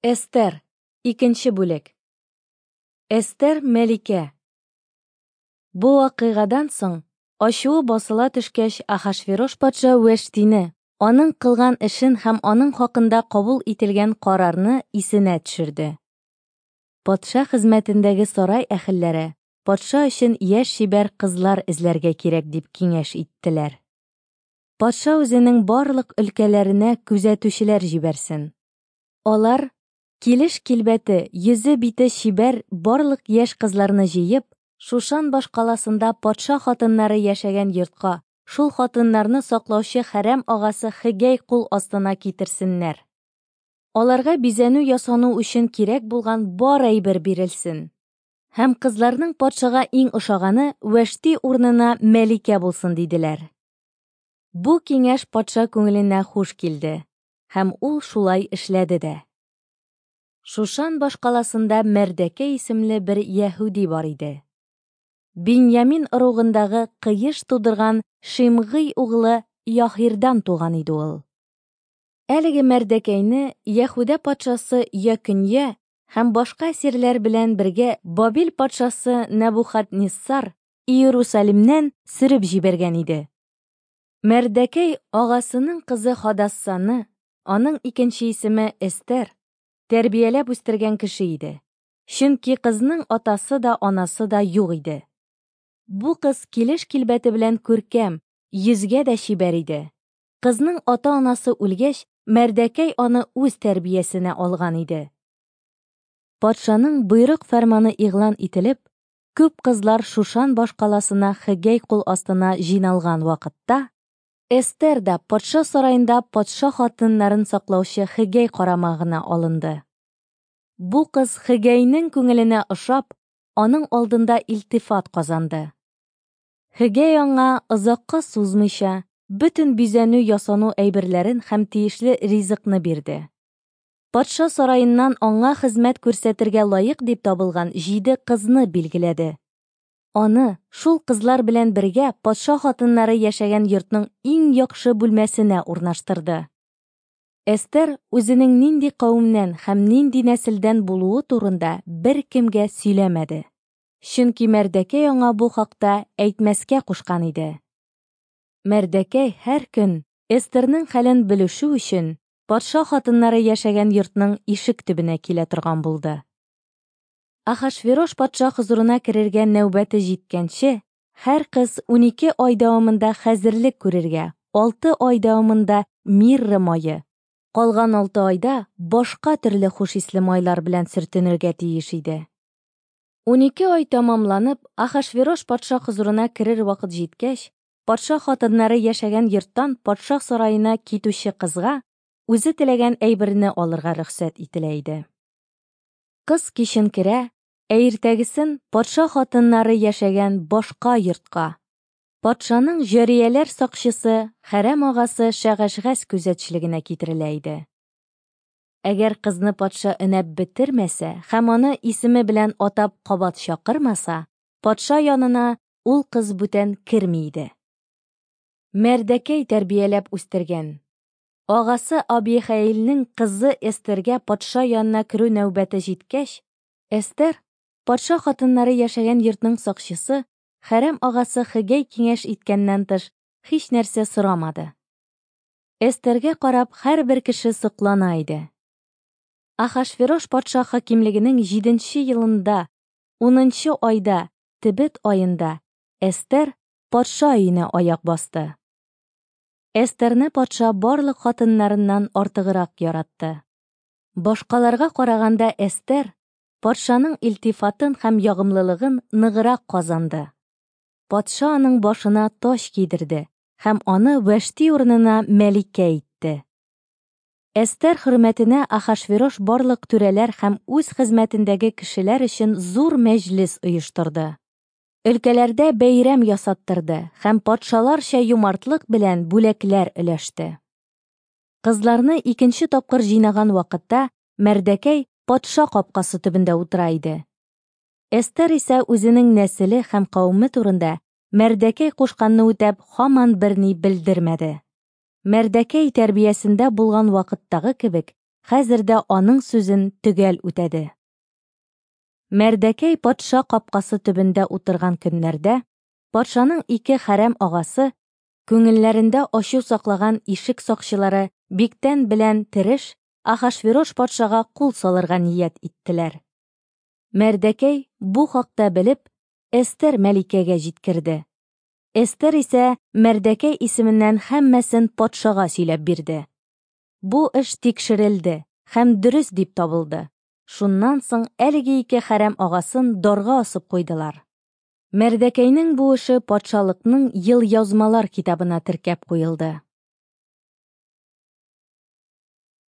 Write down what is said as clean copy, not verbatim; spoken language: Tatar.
Эстер, икенче бүлек. Эстер мәликә. Бу вакыйгадан соң, ачуы басыла төшкәч, Ахашверош патша Вәштине, аның кылган эшен һәм аның хакында кабул ителгән карарны исенә төшерде. Патша хезмәтендәге сарай әһелләре патша өчен яшь чибәр кызлар эзләргә кирәк дип киңәш иттеләр. Патша үзенең барлык өлкәләренә күзәтүчеләр җибәрсен. Алар, килеш-килбәте, йөзе-бите чибәр барлык яшь кызларны җыеп, Шушан башкаласында патша хатыннары яшәгән йортка, шул хатыннарны саклаучы хәрәм агасы Хегәй кул астына китерсеннәр. Аларга бизәнү-ясану өчен кирәк булган бар әйбер бирелсен. Һәм кызларның патшага иң ошаганы Вәшти урынына Мәликә булсын, диделәр. Бу киңәш патша күңеленә хуш килде. Һәм ул шулай эшләде дә. Шушан башкаласында Мәрдәкәй исемле бер яһүди бар иде. Биньямин ыругындагы Кыеш тудырган Шимгый углы Яһирдан туган иде ул. Әлеге Мәрдәкәйне Яһүдә патшасы Якөнья һәм башка әсирләр белән бергә Бабил патшасы Нәбухадниссар Иерусалимнән сөреп җибәргән иде. Мәрдәкәй агасының кызы Хадассаны, аның икенче исеме Эстер, тәрбияләп үстергән кеше иде. Чөнки кызның атасы да, анасы да юк иде. Бу кыз килеш-килбәте белән күркәм, йөзгә дә чибәр иде. Кызның ата-анасы үлгәч, Мәрдәкәй аны үз тәрбиясенә алган иде. Патшаның боерык-фәрманы игълан ителеп, күп кызлар Шушан башкаласына Хегәй кул астына җыйналган вакытта, Эстер да патша сараенда патша хатыннарын саклаучы Хегәй карамагына алынды. Бу кыз Хегәйнең күңеленә ошап, аның алдында илтифат казанды. Хегәй аңа, озакка сузмыйча, бөтен бизәнү-ясану әйберләрен һәм тиешле ризыкны бирде. Патша сараеннан аңа хезмәт күрсәтергә лаек дип табылган җиде кызны билгеләде. Аны, шул кызлар белән бергә, патша хатыннары яшәгән йортның иң яхшы бүлмәсенә урнаштырды. Эстер үзенең нинди кавемнән һәм нинди нәселдән булуы турында беркемгә сөйләмәде. Чөнки Мәрдәкәй аңа бу хакта әйтмәскә кушкан иде. Мәрдәкәй һәр көн, Эстернең хәлен белешү өчен, патша хатыннары яшәгән йортның ишек төбенә килә торган булды. Ахашверош патша хозурына керергә нәүбәте җиткәнче, һәр кыз 12 ай дәвамында хәзерлек күрергә, 6 ай дәвамында мирра мае, калган 6 айда башка төрле хуш исле майлар белән сөртенергә тиеш иде. 12 ай тәмамланып, Ахашверош патша хозурына керер вакыт җиткәч, патша хатыннары яшәгән йорттан патша сараена китүче кызга үзе теләгән әйберне алырга рөхсәт ителә иде. Кыз кичен керә, ә иртәгесен патша хатыннары яшәгән башка йортка, патшаның җарияләр сакчысы, хәрәм агасы Шәгашгәс күзәтчелегенә китерелә иде. Әгәр кызны патша өнәп бетермәсә һәм аны исеме белән атап кабат чакырмаса, патша янына ул кыз бүтән керми иде. Мәрдәкәй тәрбияләп үстергән агасы Абихәилнең кызы Эстергә патша янына керү нәүбәте җиткәч, Эстер, патша хатыннары яшәгән йортның сакчысы, хәрәм агасы Хегәй киңәш иткәннән тыш, һич нәрсә сорамады. Эстергә карап һәрбер кеше соклана иде. Ахашверош патша хакимлегенең 7 елында, 10 айда, Тебет аенда Эстер патша өенә аяк басты. Эстерне патша барлык хатыннарыннан артыграк яратты. Башкаларга караганда Эстер патшаның илтифатын һәм ягымлылыгын ныграк казанды. Патша аның башына таҗ кидерде һәм аны Вәшти урынына мәликә итте. Эстер хөрмәтенә Ахашверош барлык түрәләр һәм үз хезмәтендәге кешеләр өчен зур мәҗлес оештырды. Өлкәләрдә бәйрәм ясаттырды һәм патшаларча юмартлык белән бүләкләр өләште. Кызларны икенче тапкыр җыйнаган вакытта Мәрдәкәй патша капкасы төбендә утыра иде. Эстер исә үзенең нәселе һәм кавеме турында Мәрдәкәй кушканны үтәп һаман берни белдермәде. Мәрдәкәй тәрбиясендә булган вакыттагы кебек, хәзер дә аның сүзен төгәл үтәде. Мәрдәкәй патша капкасы төбендә утырган көннәрдә патшаның ике хәрәм агасы, күңелләрендә ачу саклаган ишек сакчылары Биктән белән Тереш Ахашверош патшага кул салырга ният иттеләр. Мәрдәкәй, бу хакта белеп, Эстер мәликәгә җиткерде. Эстер исә Мәрдәкәй исеменнән һәммәсен патшага сөйләп бирде. Бу эш тикшерелде һәм дөрес дип табылды. Шуннан соң әлеге ике хәрәм агасын дарга асып куйдылар. Мәрдәкәйнең бу эше патшалыкның елъязмалар китабына теркәп куелды.